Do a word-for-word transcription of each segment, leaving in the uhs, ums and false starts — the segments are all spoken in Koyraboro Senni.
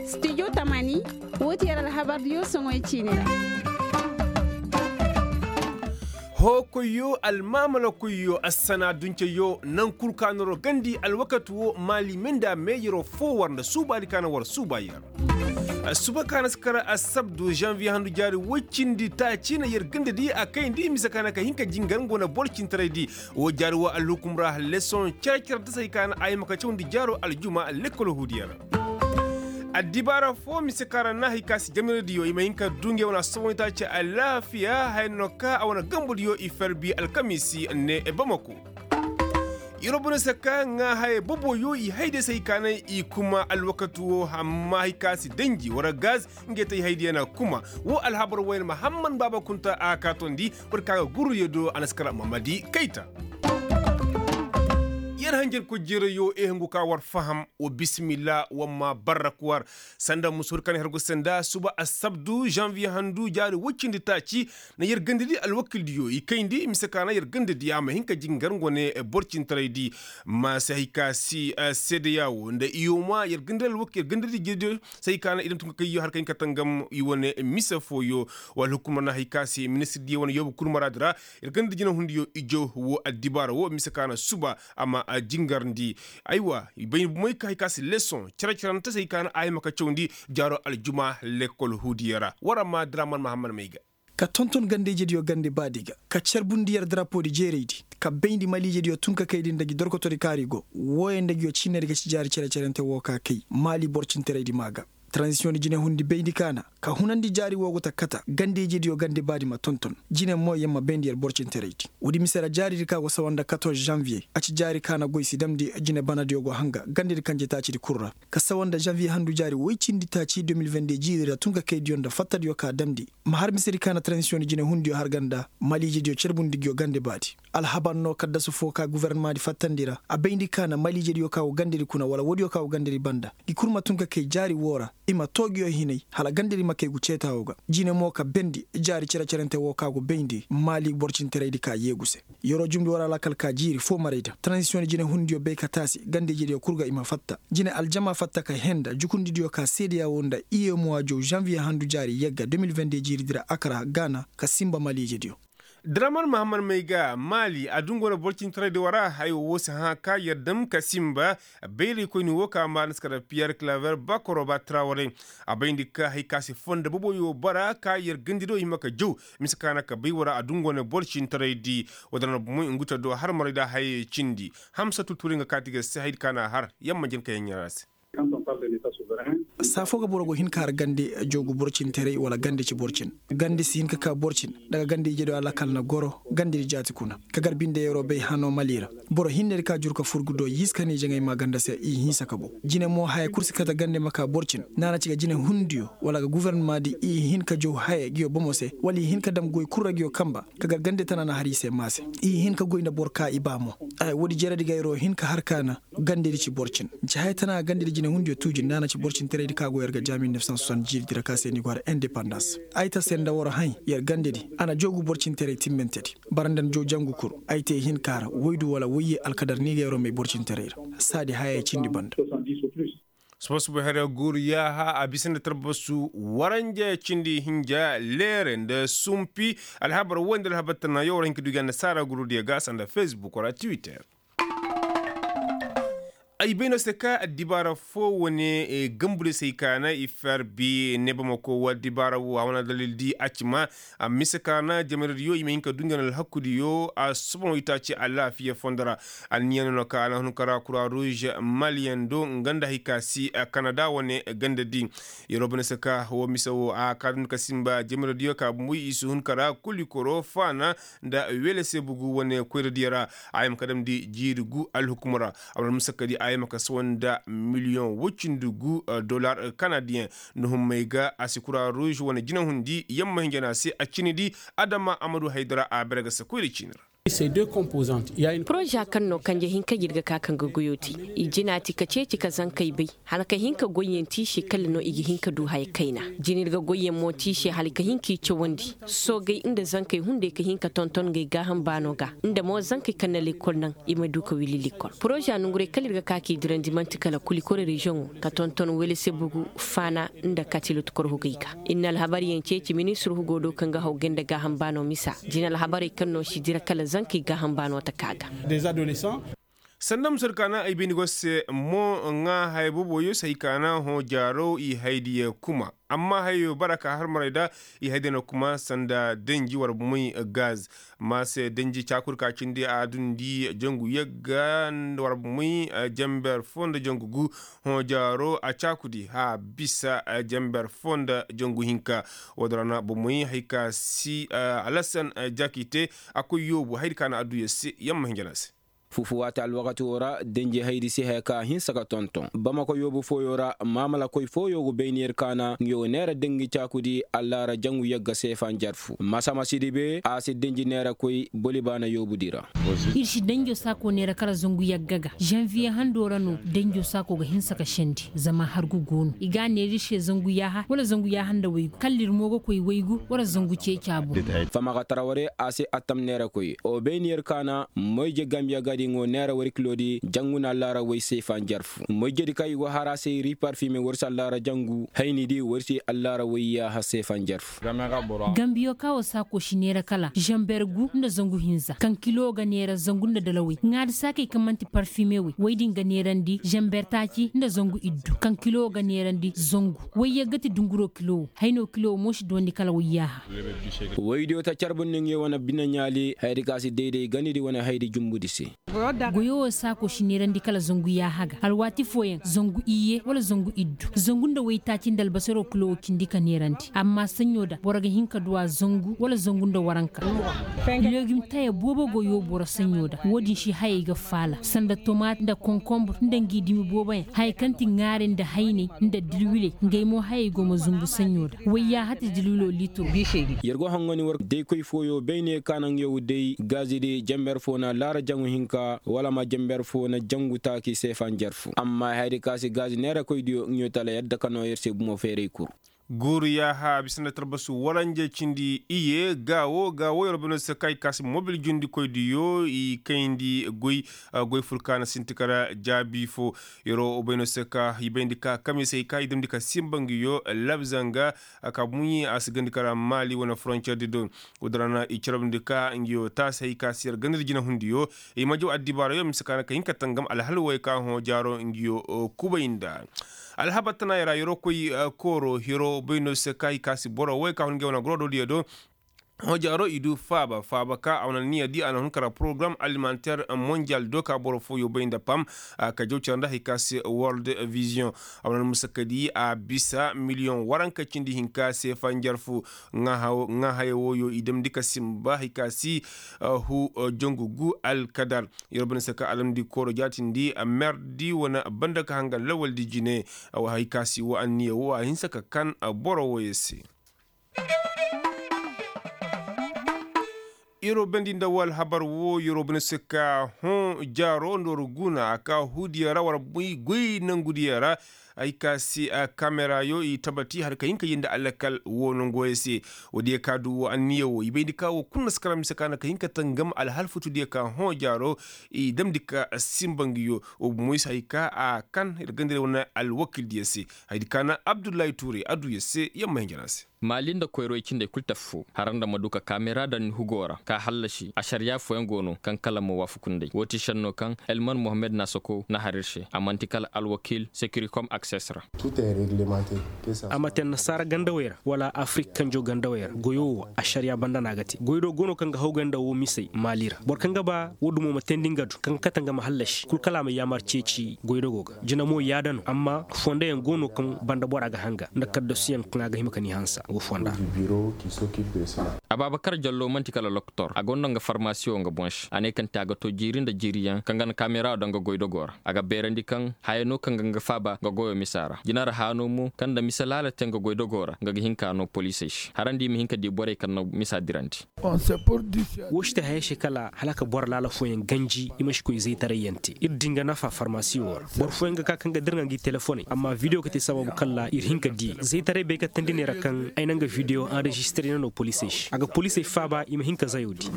Studio tamani, woo ti yer alhabardiyo soŋoy ciini ra. Hookoyyo, almaamalakoyyo, assana dunceyo, naŋ kul ka na war gandi alwakati woo maali me nda meeyaroo foo war nda suubaadi ka na war suuba yer. Suba ka na si kar assabdu zanviye handu jaari woy cindi taaci na yer gandadi a kayndi mise ka na ka hin ka jingar nga wane boro cintaraydi. Woo jaari woo alhukum ra lesoŋ cere-cere nda se hay ka na a hima ka cawandi jaaro aljuma lekkol huudiyo ra. Addibaara foo mise ka ra na hay ka si jamiraydiyo i ma hin ka du ngey wane assobonitaaci alaafiya haya no ka a wane gambodiyo i ferbi alkamiisi ne bamako. Yer wo boro se ka ŋaa hayey boboyo i hayday se hay ka na i kuma alwakati woo amma hay ka si danji wara gaz. Ngey te i haydiyo na kuma woo alhabar wayne mahamman baaba kunta a kaa tondi. Boro ka ga gurruyo do a na si kar mamadi kayta. Yer hanjarkoy jeerayo ehungu ka war faham. Wa bisimilla wa ma barrak war sanda musuur ka na hergo senda suba assabdu zanviye handu jaari woy cindi taaci. Na yer gandadi alwakildiyo i kayndi mise ka na yer gandadi a ma hin ka jingar nga wane boro cintaraydi. Ma si hay ka si seedeya woo nda iyoma yer gandadi alwakildiyo se hay ka na i daŋ tun ka kayyo har ka hin ka tangam i wane mise fooyo. Wala hukumar na hay ka se ministirdiyo wane yoobu kurmaraadi ra. Yer gandadi jinahundiyo ijo woo addibaara woo mise ka na suba a ma jingarndi. Aywa i bay ni bumoy ka hay ka si lesoŋ cere-cerante se hay ka na a hima ka cawandi jaaro aljuma lekkol huudiyo ra war a ma draman mahamman may ga. Ka tonton gandeyjediyo gande baadi ga ka carbundi yer darapoodi jeeraydi ka bayndi maliijediyo tun ka kaydi nda ngi dorkotoodi kaari go. Wooyo nda ngiyo ciinedi ga ci jaari cere-cerante woo ka kay maali boro cintaraydi maa ga. Taranzisiyoŋ di jinehundi bayndi ka na ka hunandi jaari woo go ta kata gandeyjediyo gande baadi ma tonton. Jine mo yer ma bayndi yer boro cintaraydi. Woodi mise ra jaaridi ka go sawa nda katorze zanviye a ci jaari ka na goy si damndi jine banadiyo go hanga gandedi kanjetaacidi kul ra. Ka sawa nda zanviye handu jaari woy cindi taaci de mil vende jiiri ra tun ka kaydiyo nda fattadiyo ka damndi. Ma har misedi ka na taranzisiyoŋ di jinehundiyo har ga nda maliijediyo carbundi ngiyo gande baadi. Alhabar no kaddasu foo ka gofornamaadi fattandi ra a bayndi ka na maliijediyo ka go gandedi kuna wala woodiyo ka go gandedi banda ngi kul ma tun ka kay jaari woo ra. I ma too ngiyo hinay hala gandedi ma kay ngu ceetaawo ga. Jine mo ka bendi jaari cere-cerante woo ka go bayndi maali boro cintaraydi ka yeegu se. Yeroo jumndi war alakal ka jiiri foo maray da taranzisiyoŋ jinehundiyo bay ka taasi gandeyjediyo kul ga i ma fatta. Jine aljama fatta ka henda jukundidiyo ka seedeya woo nda iyemuwa jow zanviye handu jaari yagga de mil vende jiiridi ra akara gaana ka sinba maliijediyo. Draman mahammad may ga maali a dungu wane boro cintaraydi wara haya woo si hã ka yer dam ka sinba. Bayraykoyni woo ka maana si kara piyer klaver bakoroba traware. A bayndi ka hay ka si fonda boboyo bara ka yer gandiro hima ka jaw. Mise ka na ka bay wara a dungu wane boro cintaraydi. Woo dara na bumoy ngu ta do har maray da hayey cindi. Hamsa tuturay nga kaati ga se haydi ka na har yamma jin ka yaŋ ɲaara se. Saa foo ga boro go hin ka har gande joogu boro cin teray wala gande ci boro cin. Gande si hin ka ka boro cin. Daga gande ije do alakal na goro gande di jaati kuna ka gar binde yeroo bay hano mali ra. Boro hinne di ka jur ka fur ga do yiis ka ne jaŋay ma ganda se i hinsa ka bo. Jine mo haya kul si kate gande ma ka boro cin. Naana ci ga jine hundiyo wala ga guvernama di i hin ka jow haya giyo bomo se wala i hin ka dam goy kul ra giyo kamba. Ka gar gande tana na har i se maase. I hin ka goy nda boro ka i ba mo. Woodi jeredi ga yeroo hin ka har ka na gandedi ci boro cin. Ci haya tana gandedi jinehundiyo tuuji nda a na ci boro cin teraydi ka go yer ga jaami nefsan sosan jiiridi ra ka se ni go har indepandans. Ay ta se nda war haŋ yer gandedi a na joogu boro cin teray timmantedi. Bara nda ni jow jangu kul. Ay te hin ka har woydu wala woyye alkadar ni ga yeroo may boro cin teray ra. Saadi hayey cindi banda. Suba suba here guuru yaaha a bisa nda tarbasu waranja cindi hinja leere nda sumpi. Alhabar woy nda alhabar tana yawar hinka dugi annasaara gurudiyo ga sanda facebook wala twitter. Ay bay no se ka addibaara foo wane gambudiyo se ay kaana i fer bi ne bamako wo addibaara wo a wane dalil di a ci ma. A mise kaana jamaradiyo i ma hin ka du nga na alhakudiyo a soboŋo itaaci alaafiya fondo ra. Anniya no na ka a na hun kara kura ruuz maliyaŋ do nga nda hay ka si kanada wane ganda di. Yeroo bane se ka wo mise wo a ka dun ka simba jamaradiyo ka bumbuy i si hun kara kuli koro faana nda weele se bugu wane koyradiyo ra. A yama ka damndi jiiri gu alhukumo ra. A wane musakadi a yama ka sawa nda miliyoŋ woy cindi gu dollar kanadiyeŋ. Nda hummey ga a si kura ruuz wane jinahundi yamma hinja no a se a cini di. Adama amadu haydara a bere ga se koyra ciini ra. Poroza kaŋ no kanje hinka jirga ka kaŋ ga goyo te. I jina ti ka ceeci ka zankey bay, hala ka hin ka goyyaŋ tiise kala no i ga hin ka du haya kayna. Jina ir ga goyyaŋ mo tiise hala ka hin k'i cawandi. Soogey nda zankey hunday ka hin ka tonton ngey gaaham baano ga, nda mo zankey kaŋ na lekkol naŋ, i ma du ka wili lekkol. Poroza nonguray kala ir ga ka k'i dirandi man'ti kala kulikoro reziyoŋo ka tonton welesebugu, faana, nda katilut korhugey ga. Ir na alhabaryaŋ ceeci ministir hugo do kaŋ ga haw gay nda gaaham baano misa. Jina alhabarey kaŋ no si dira kala zankey gaaham baano ta ka ga. Sanda musur kaana ay bindi go se mo ŋaa haya booboyo se hay kaana hõ jaaro i haydiya kuma. Amma hayo bara ka har maray da i haydiya na kuma sanda danji war bumey gaz. Ma se danji caakudi ka cindi a dundi jangu yagga war bumey, jamber foo nda jangu gu. Hõ jaaro a caakudi ha bisa jamber foo nda jangu hinka. Woo din ra na bumey hay ka si alasan jakite a koy yoobu haydi ka na adduya se yamma hinja na se. Fufu waati alwakati woo ra denji haydi si haya ka a hinsa ka tonton bamako yoobu fooyo ra maamalakoy fooyo go bayni yer kaana nga yoo neera dangi caakudi allaara jangu yagga seefa njarfu masamasidi be a si denji neerakoy bolibaana yoobudi ra. Ir si danjo saako neera kala zangu yagga ga zanviye handoo ra no. Danjo saako ga hinsa ka sendi zama hargu go no i ga a neera ir se zangu yaaha wala zangu yaaha nda waygu kalla ir mo ga koy waygu wala zangu ceecaa boŋ. Famakatara warey a si attam neerakoy o bay ni yer kaana moyje gambiya gadi ngo neera war kiloodi jangu na allaara way seefa njarfu moyjedi kaŋ i go har a se ri parfime war si allaara jangu haynidi war si allaara way yaaha seefa njarfu. Gambiyo ka wo saako si neera kala zamber gu nda zangu hinza kaŋ kilo ga neera zangu nda dalawey ŋaari saakey kaŋ man'ti parfime wey wey din ga neerandi zamber taaci nda zangu iddu kaŋ kilo ga neerandi zangu. Wayye ga ti dunguro kilo wo hayno kilo wo mo si doondi kala wayyaaha. Waydiyo ta carbundi nga ye wane bine ɲaali hayadi ka si dayday ganidi wane hayadi jumbudi se. Goyo wo saako si neerandi kala zangu yaaha ga alwaati fooyaŋ zangu iyye wala zangu iddu zangu nda waytaaci nda albasaroo kilo wo cindi ka neerandi amma saɲɲo da boro ga hin ka du a zangu wala zangu nda waranka. Legim taya boobo go yoo boro saɲɲo da woo din si hayey ga faala sanda tomaat nda konkonbur nda ngi dimi booboyaŋ haya kaŋ ti ŋaari nda hayney nda dilwiley ngey mo hayey go ma zumbu saɲɲo da wayya hati dilwilo liitiro. Yer go hangani war daykoy fooyo bay ne ka naŋ yaw day gaazidi jamber foo na laara jaŋu hinka wala ma jamber foo na jangu taaki seefa njarfu amma hayadi ka se gaazi neerakoydiyo nga yoo tala yadda ka noo yer se bumo feeray kul. Guuru yaaha bisa nda tarbasu waranje cindi iye gaawo gaawo yer bino se kaŋ ay kaasi mobil jundikoydiyo i kayndi goy. Goy furkaana sinti kara jaabi fo. Yer wo bayno se ka i bayndi ka kame se i ka i damndi ka simba ngiyo labzanga. Ka buɲi a si gandi kara maali wane foronceer di do. Woo din ra na i carabndi ka ngiyo taasi hay ka si yer gandi nda jinahundiyo. I ma jaw addibaarayo mise ka na ka hin ka tangam alhal wooyo ka hõ jaaro ngiyo kubay nda. Alhabar tanaayey ra yeroo koy kooro heroo bay no se ka hay ka si boro woy ka hun ngey wane goroododiyo do. Hõ jaaro i du faaba faaba ka a wane niya di a na hun kara porogaram alimanteer monjal do ka boro fooyo bay nda pam. Ka jaw care nda hay ka se world vision. A wane almusakadi a bisa miliyoŋ waranka cindi hinka se fanjar fu. Ŋaa haya wooyo i damndi ka simba hay ka si hu jangu gu alkadar. Yer banda se ka alamdi kooro jaatindi merdi wane banda ka hangan lawaldi jine. Hay ka si woo anniya woo a hinsa ka kan boro wooyo se. Yeroo bandi nda woo alhabar woo yeroo banda se ka hõ jaaro nda war guna a ka huudiyo ra war goy nangudiyo ra. Hay ka si kameraayo i tabati har ka hin ka yee nda alakal woo nongooyo se. Woodiyo ka du woo anniya woo i bayndi ka woo kul na si kara mise ka na ka hin ka tangam alhal futudiyo ka hõ jaaro. I damndi ka simba ngiyo woo bumo i si hay ka a kan ir gandira wane alwakildiyo se. Hayadi ka na abdullahi tuuray adduyo se yamma hinja na se. Maali nda koyroy cindey kul tafu foo har nda ma du ka kaamera daŋ ni hugoo ra ka hallasi ašariyaa fooyaŋ go no kaŋ kala ma waafaku nd'ey woo ti šennoo kaŋ elman mohammed naasakoo na har ir se a man'ti kala alwakiil sekirikom akses ra. A ma te annasaara gandawey ra wala afirik kanjoo gandawey ra goyoo woo ašariyaa banda no a ga te goydoo go no kaŋ ga hawgay nda woo misey maali ra boro kaŋ ga ba woo dumo ma teendi nga du kaŋ ga kate nga ma hallasi kul kala a ma yaamar ceeci goydogoo ga jina mo yaada no amma fondoyaŋ go no kaŋ banda bora ga hanga nda kaddasuyaŋ kaŋ a ga hima ka ni hansa go fonda. Abaabakar jallo man'ti kala loktor a gonda nga farmasiyo nga boŋ se a ne kaŋ te a ga to jiiri nda jiiri. Diyaŋ kaŋ ga na kaamera daŋ ga goy dogoo ra a ga beerandi kaŋ haya no kaŋ ga nga faaba nga goyoo misa ra jina ra haya no mo kaŋ nda mise laala te nga goy dogoo ra nga ga hin ka noo poliisey se harandi i ma hin ka dii borey kaŋ na misa dirandi. Woo si te hayey se kala hala ka boro laala fooyaŋ ganji i ma si koy zaytaray yaŋ te ir din ga nafa farmasi woo ra boro fooyaŋ ga ka kaŋ ga dirŋa ngi telefoney amma videwo ga te sababu kalla ir hin ka dii zaytaray bay kattandi ne ra kaŋ ay na nga videwo anrezistire na no poliisey se a ga poliisey faaba i ma hin ka zayo dii.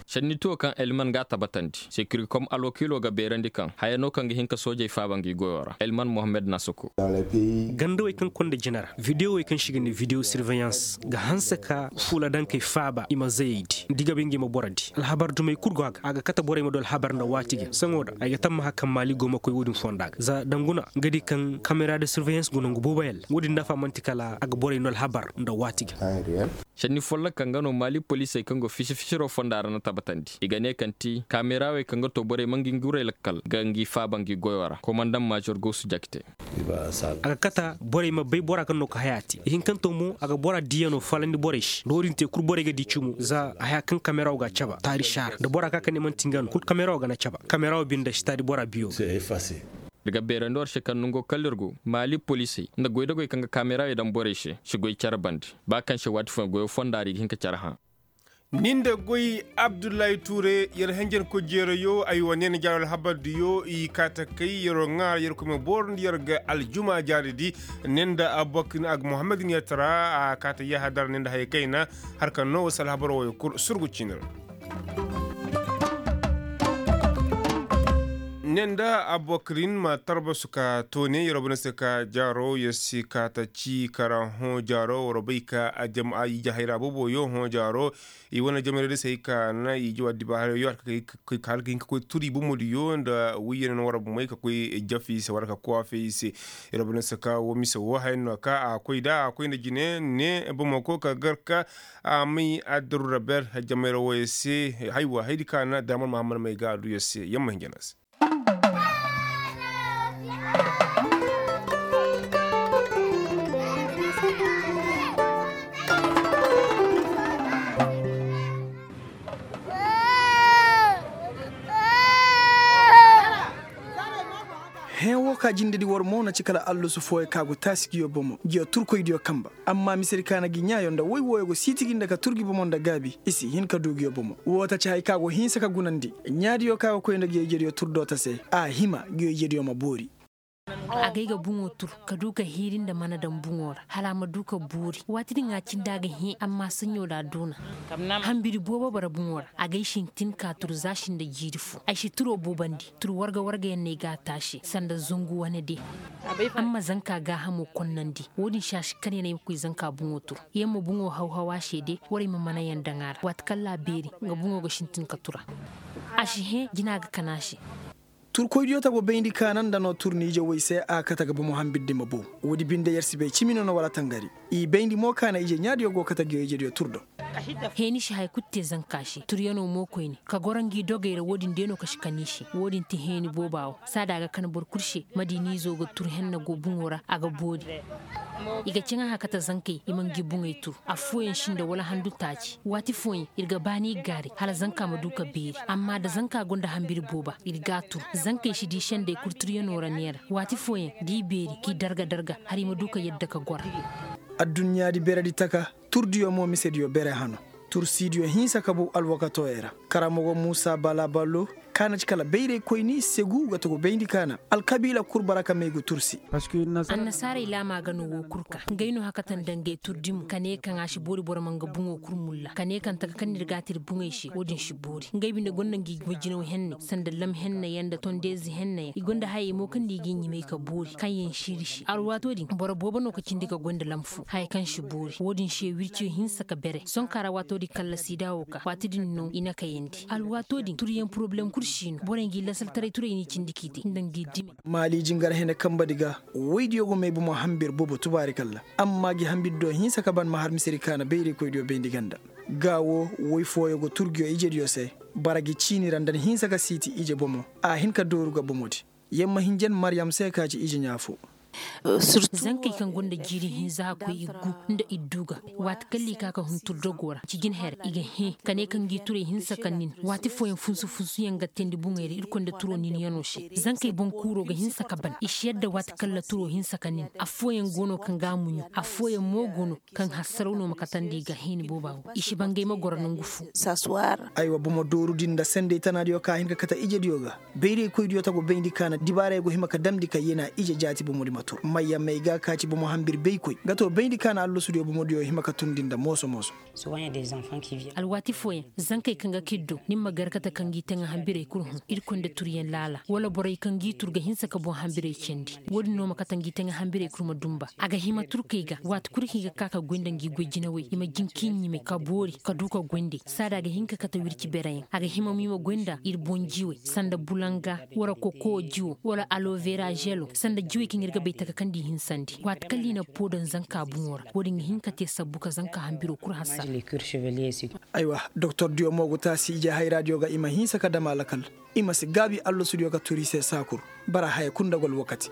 Sennituwo kaŋ elman ga a tabatandi sekirikom alwakiilo ga beerandi kaŋ haya no kaŋ ga hin ka soojey faaba ngi goyoo ra elman mohammed na soko. Gandawey kaŋ konda jina ra videowey kaŋ se i ga ne videwo sirveyans ga hanse ka fuula dankey faaba i ma zayey di da i ga bay nga i ma boro di alhabar dumey kul go a ga a ga kate borey ma du alhabar nda waati ga saŋo da ay ga tammaha kaŋ maali go ma koy wo-din fonda ga za danguna nga di kaŋ kamera de sirveyans go nangu boobo yalla wo-din nafa man'ti kala a ga borey no alhabar nda waati ga. Senni folloka nga no maali poliisey kaŋ go fisi-fisiroo fonda ra na tabatandi i ga ne kaŋ ti kaameraawey kaŋ ga too borey ma ngi ngurey lakkal ga ngi faaba ngi goyoo ra komandaŋ maazor goosu jakite. A ga kata borey ma bay bora kaŋ no ka haya te ihinkanto mo a ga bora diiyanoo falandi borey se nda wo-din te kul borey ga dii cumu za haya kaŋ kaameraawoo ga a caba taari saara nda bora ka ka ne man'ti nga no kul kaameraawoo ga na caba kaameraawoo binde si taari bora biyo. Ir ga beerandi war se kaŋ nongo kala ir go maali poliisey nda goydogey kaŋ ga kaameraawey daŋ borey se si goy cere bande ba kaŋ se waati fooyaŋ goyoo fonda ra i ga hin ka cere hã. Ni nda goy abdullahi tuure yer henjenkoy jeerayo ay wa neena jaaro alhabar diyo i kaata kay yeroo ŋaara yerkoy ma boorandi yer ga aljuma jaari di. Ne nda abubakar ni a ga muhammad ni yer tara a kaata yahadar ne nda haya kayna har ka noo wa si alhabaroo wo yer kul surgu ciini ra. Ne nda abubakar ni ma tarbasu ka toone yeroo bane se ka jaaro yer si kaata ci kara hõ jaaro war bay ka a jama i jahayra booboyo hõ jaaro. I wane jamayra day se hay ka na i jawa diba haray yo har ka koy ka halka hin ka koy turi bomo diyo nda wiyana no war bumey ka koy jafi se war ka kuwafe i se. Ira bana se ka wo mise wo hayan no ka a koy da a koy nda jine ne bomo ko ka gar ka a may addaru raber jamayra wo ya se. Haywa haydi ka na damar mahammad may ga a du ya se yamma hinjana se. Hẽe woo ka jindedi war mo na ci kala allusu fooyo ka go taasi ngiyo bomo ngiyo turkoydiyo kanba. Amma misedi ka na ngi ɲaayo nda woy wooyo go siitigi nda ka tur ngi bomo nda gaabi i si hin ka duu ngiyo bomo woo ta ci haya ka go hinsa ka gunandi. Ɲaadiyo ka go koy nda ngiyo ijediyo tur doota se a hima ngiyo ijediyo ma boori. Agay ga buŋo tur ka du ka hiiri nda mana daŋ buŋo ra hala a ma du ka boori waati din a cindi a ga hẽe amma saɲɲo da a duuna. Hambiri boobo bara buŋo ra agay sintin ka tur za sinda jiiri fo ay si turo boobandi. Tur warga warga yaŋ no ay ga a taase sanda zangu wane de. Amma zanka gaahamo konnandi wo-din se a si kar yaŋ ay ma koy zanka buŋo tur. Yamma buŋo haw-haw a se de. Warey ma mana yaŋ daŋ a ra waati kaŋ ra a beeri nga buŋo ga sintin ka tura. A si hẽ jina ga kan a se. Turkoydiyo tago bayndi kaana nda no turni ije woy se a kate ga bomo hambirdi ma bow. Woodi binde yer si bay cimi no no wala tangari. I bayndi mo kaana ije ɲaadiyo go kate ngiyo ijediyo tur do. Heeni si haya kulu te zanka se turyanoo mo koyne ka goro ngi dogey ra woodin day no ka si kan i se. Woodin ti heeni booba wo saada a ga kan boro kulu se ma di ni izo ga tur henna go buŋo ra a ga boori. I ga caŋ a hã kate zankey i ma ngi buŋey tur. Affooyaŋ sinda wala handu taaci waati fooyaŋ ir ga baani i gaari hala zanka ma du ka beeri. Amma da zanka gonda hambiri booba ir g'a tur. Zankey si di sendey kulu turyanoo ra neera. Waati fooyaŋ da i beeri k'i darga darga hala i ma du ka yadda ka gora. Adduɲɲaadi beredi taka turdiyo mo misediyo bere hano. Tursiidiyo hinsa ka bow alwakatooyey ra. Karamogo muusa balabalo ka na ci kala bayraykoyni segu ga tagu bayndi kaana. Alkabiila kul bara ka may ga tursi. Annasaarey laama ga no woo kul ka ngey no hakatan nda ngey turdi mo ka ne kaŋ a si boori boro ma nga buŋo kul mulla ka ne kaŋ taka kaŋ no ir g'a te ir buŋey se wo-din si boori ngey binde gonda ngi goy jinaw henne sanda lam henneyaŋ nda tondeezi henneyaŋ i gonda hayey mo kaŋ no i g'i ɲimay ka boori kaŋ yaŋ siiri se alwaatoo din boro boobo no ka cindi ka goy nda lam fo haya kaŋ si boori wo-din se wirciyo hinsa ka bere sonkaa ra waatoo din kalla siida wo ka waati din no i na kayandi alwaatoo din turyaŋ porobalem kul si no borey ngi lasaltaray turey n'i cindi k'i te nda ngi dime. Maali jingar hene kambadi ga woydiyo go may bomo hambir boobo tubaari kalla amma gi hambir do hinsa ka ban ma har misedi kaana bayraykoydiyo bayndi ganda. Gaa wo woy fooyo go turgiyo ijediyo se bara gi ciini ra nda ni hinsa ka siiti ije bomo a hin ka dooru ga bomodi. Yamma hinjan maryam se ka ci ije ɲaa fo. Zankey kaŋ gonda jiiri hinza hakkoy i gu nda i du ga. Waati kaŋ liika ka hun turdogoo ra ci jin her i ga hẽ ka ne ka ngi turey hinsa ka nin. Waati fooyaŋ funsu funsuyaŋ ga teendi buŋey ra irkoy nda turoo ninyanoo se. Zankey boŋ kuuroo ga hinsa ka ban i si yadda waati kaŋ ra turoo hinsa ka nin. Affooyaŋ go no kaŋ ga a muɲu. Affooyaŋ mo go no kaŋ hassaraw no ma katandi i ga hini booba go i si bangay ma goro nangu fo. Aywa bomo doorudi nda sendey tanaadiyo ka a hin ka kate ijediyo ga. Bayraykoydiyo ta go bayndi kaana dibaarey go hima ka damndi ka yena ije jaati bomodi ma tur mayya may ga ka ci bomo hambir baykoy nga to bayndi kaana allasudiyo bomodiyo hima ka turndi nda mooso mooso. Alwaati fooyaŋ zankey kaŋ ga kiddo ni ma gar kate ka ngi teŋa hambirey kul hõ irkoy nda turyaŋ laala wala borey kaŋ g'i tur ga hinsa ka boŋ hambirey candi. Wo-din no ma kate ngi teŋa hambirey kul ma dumba a ga hima turkey ga waati kul kaŋ i ga ka ka goy nda ngi goy jinawey i ma jin k'i ɲime ka boori ka du ka goy nd'ey saada a ga hin ka kate wirci bereyaŋ a ga hima mo i ma goy nda ir boŋ jiwey sanda bulanga wala kokowo jiwo wala aloveera želo sanda jiwey kaŋ ir ga bay taka kaŋ nda i hinsandi waati kaŋ ra i na poo daŋ zanka buŋo ra wo-din ga hin ka te sabbu ka zanka hambiro kul hassara. Aywa doktordiyo mo go taasi ije hayraadiyo ga i ma hinsa ka dam alakal. I ma si gaabi allasudiyo ka turu i se saa kul bara haya kul nda gol wakati.